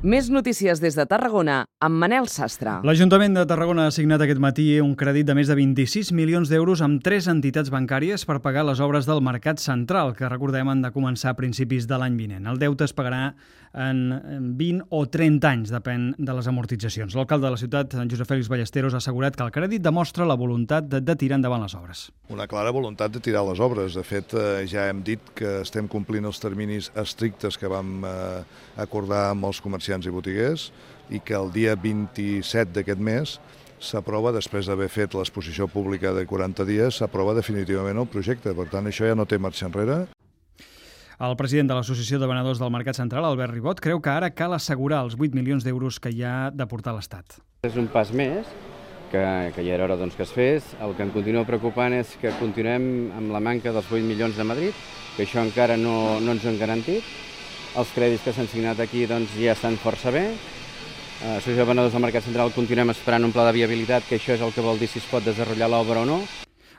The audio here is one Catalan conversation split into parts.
Més notícies des de Tarragona amb Manel Sastre. L'Ajuntament de Tarragona ha signat aquest matí un crèdit de més de 26 milions d'euros amb 3 entitats bancàries per pagar les obres del Mercat Central, que recordem han de començar a principis de l'any vinent. El deute es pagarà en 20 o 30 anys, depèn de les amortitzacions. L'alcalde de la ciutat, Josep Fèlix Ballesteros, ha assegurat que el crèdit demostra la voluntat de tirar endavant les obres. Una clara voluntat de tirar les obres. De fet, ja hem dit que estem complint els terminis estrictes que vam acordar amb els comerciants i botiguers i que el dia 27 d'aquest mes s'aprova, després d'haver fet l'exposició pública de 40 dies, s'aprova definitivament el projecte. Per tant, això ja no té marxa enrere. El president de l'Associació de Venedors del Mercat Central, Albert Ribot, creu que ara cal assegurar els 8 milions d'euros que hi ha de portar l'Estat. És un pas més, que ja era hora que es fes. El que em continua preocupant és que continuem amb la manca dels 8 milions de Madrid, que això encara no ens ho han garantit. Els crèdits que s'han signat aquí ja estan força bé. L'Associació de Venedors del Mercat Central continuem esperant un pla de viabilitat, que això és el que vol dir si es pot desenvolupar l'obra o no.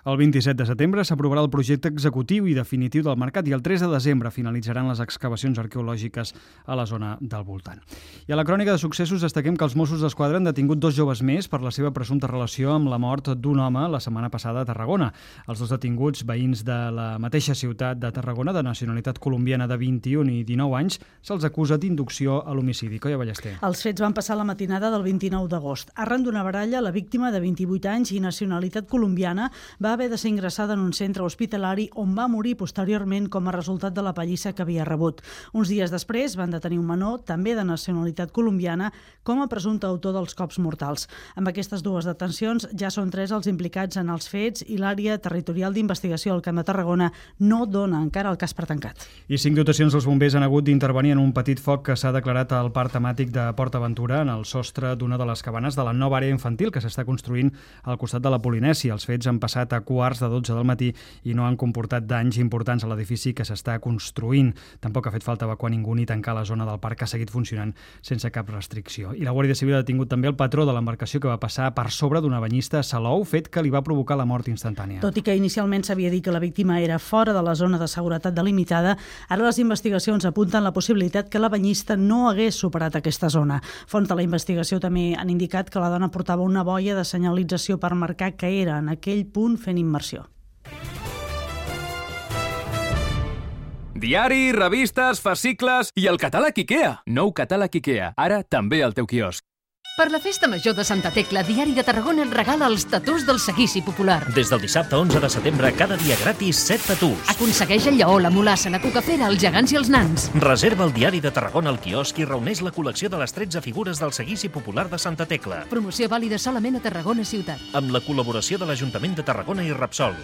El 27 de setembre s'aprovarà el projecte executiu i definitiu del mercat i el 3 de desembre finalitzaran les excavacions arqueològiques a la zona del voltant. I a la crònica de successos destaquem que els Mossos d'Esquadra han detingut 2 joves més per la seva presumpta relació amb la mort d'un home la setmana passada a Tarragona. Els 2 detinguts, veïns de la mateixa ciutat de Tarragona, de nacionalitat colombiana de 21 i 19 anys, se'ls acusa d'inducció a l'homicidi. Coia Ballester. Els fets van passar la matinada del 29 d'agost. Arran d'una baralla, la víctima de 28 anys i nacionalitat colombiana va haver de ser ingressada en un centre hospitalari on va morir posteriorment com a resultat de la pallissa que havia rebut. Uns dies després van detenir un menor, també de nacionalitat colombiana, com a presumpte autor dels cops mortals. Amb aquestes 2 detencions ja són 3 els implicats en els fets i l'àrea territorial d'investigació al Camp de Tarragona no dona encara el cas per tancat. I 5 dotacions dels bombers han hagut d'intervenir en un petit foc que s'ha declarat al parc temàtic de Port Aventura en el sostre d'una de les cabanes de la nova àrea infantil que s'està construint al costat de la Polinèsia. Els fets han passat a quarts de 12 del matí i no han comportat danys importants a l'edifici que s'està construint. Tampoc ha fet falta evacuar ningú ni tancar la zona del parc, que ha seguit funcionant sense cap restricció. I la Guàrdia Civil ha detingut també el patró de l'embarcació que va passar per sobre d'una banyista a Salou, fet que li va provocar la mort instantània. Tot i que inicialment s'havia dit que la víctima era fora de la zona de seguretat delimitada, ara les investigacions apunten la possibilitat que la banyista no hagués superat aquesta zona. Fonts de la investigació també han indicat que la dona portava una boia de senyalització per marcar que era en aquell punt fent immersió. Diari, revistes, fascicles i el catàleg IKEA. Nou catàleg IKEA, ara també al teu quiosc. Per la Festa Major de Santa Tecla, Diari de Tarragona et regala els tatús del seguici popular. Des del dissabte 11 de setembre, cada dia gratis 7 tatús. Aconsegueix el lleó, la mulassa, la cucafera, els gegants i els nans. Reserva el Diari de Tarragona al quiosc i reuneix la col·lecció de les 13 figures del seguici popular de Santa Tecla. Promoció vàlida solament a Tarragona ciutat. Amb la col·laboració de l'Ajuntament de Tarragona i Repsol.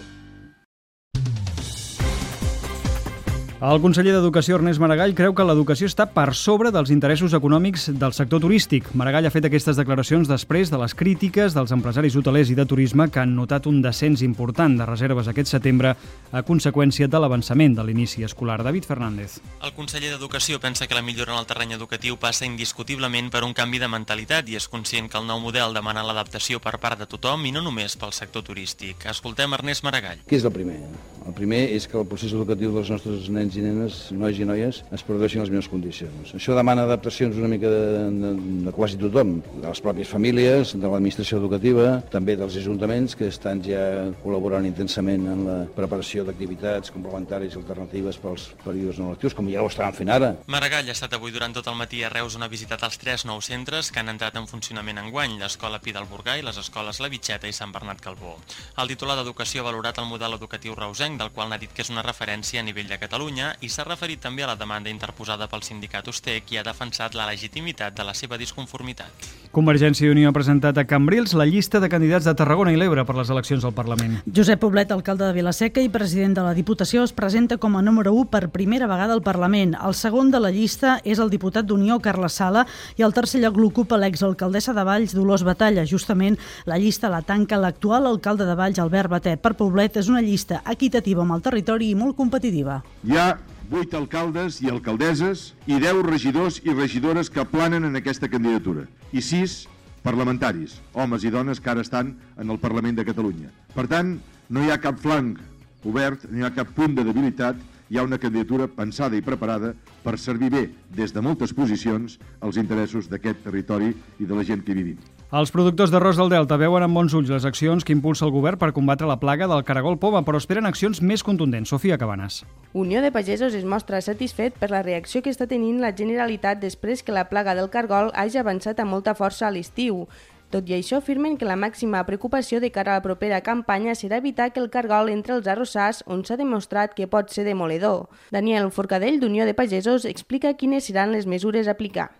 El conseller d'Educació, Ernest Maragall, creu que l'educació està per sobre dels interessos econòmics del sector turístic. Maragall ha fet aquestes declaracions després de les crítiques dels empresaris hotelers i de turisme que han notat un descens important de reserves aquest setembre a conseqüència de l'avançament de l'inici escolar. David Fernández. El conseller d'Educació pensa que la millora en el terreny educatiu passa indiscutiblement per un canvi de mentalitat i és conscient que el nou model demana l'adaptació per part de tothom i no només pel sector turístic. Escoltem Ernest Maragall. Què és el primer? El primer és que el procés educatiu dels nostres nens i nenes, nois i noies, es produeixin en les millors condicions. Això demana adaptacions una mica de quasi tothom, de les pròpies famílies, de l'administració educativa, també dels ajuntaments que estan ja col·laborant intensament en la preparació d'activitats complementàries i alternatives pels períodes no lectius, com ja ho estaven fent ara. Maragall ha estat avui durant tot el matí a Reus on ha visitat els 3 nous centres que han entrat en funcionament enguany, l'Escola Pi del Burgai, les escoles La Vitxeta i Sant Bernat Calbó. El titular d'Educació ha valorat el model educatiu reusenc, del qual n'ha dit que és una referència a nivell de Catalunya, i s'ha referit també a la demanda interposada pel sindicat Ustec i ha defensat la legitimitat de la seva disconformitat. Convergència i Unió ha presentat a Cambrils la llista de candidats de Tarragona i l'Ebre per les eleccions al Parlament. Josep Poblet, alcalde de Vila-seca i president de la Diputació, es presenta com a número 1 per primera vegada al Parlament. El segon de la llista és el diputat d'Unió, Carles Sala, i el tercer lloc l'ocupa l'exalcaldessa de Valls, Dolors Batalla. Justament, la llista la tanca l'actual alcalde de Valls, Albert Batet. Per Poblet és una llista equitativa amb el territori i molt competitiva. Hi ha 8 alcaldes i alcaldesses i 10 regidors i regidores que planen en aquesta candidatura i 6 parlamentaris, homes i dones que ara estan en el Parlament de Catalunya. Per tant, no hi ha cap flanc obert, no hi ha cap punt de debilitat hi ha una candidatura pensada i preparada per servir bé, des de moltes posicions, als interessos d'aquest territori i de la gent que hi vivim. Els productors d'arròs del Delta veuen amb bons ulls les accions que impulsa el govern per combatre la plaga del caragol poma, però esperen accions més contundents. Sofia Cabanes. Unió de Pagesos es mostra satisfet per la reacció que està tenint la Generalitat després que la plaga del cargol hagi avançat amb molta força a l'estiu. Tot i això, afirmen que la màxima preocupació de cara a la propera campanya serà evitar que el cargol entre els arrossars, on s'ha demostrat que pot ser demoledor. Daniel Forcadell, d'Unió de Pagesos, explica quines seran les mesures a aplicar.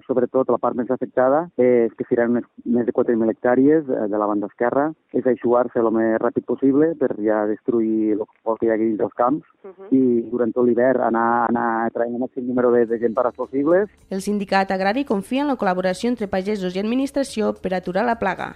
Sobretot la part més afectada és que seran més de 4.000 hectàrees de la banda esquerra, és eixugar-se el més ràpid possible per ja destruir el que hi ha dins dels camps i durant tot l'hivern anar traient el màxim número de gent pares possibles. El sindicat agrari confia en la col·laboració entre pagesos i administració per aturar la plaga.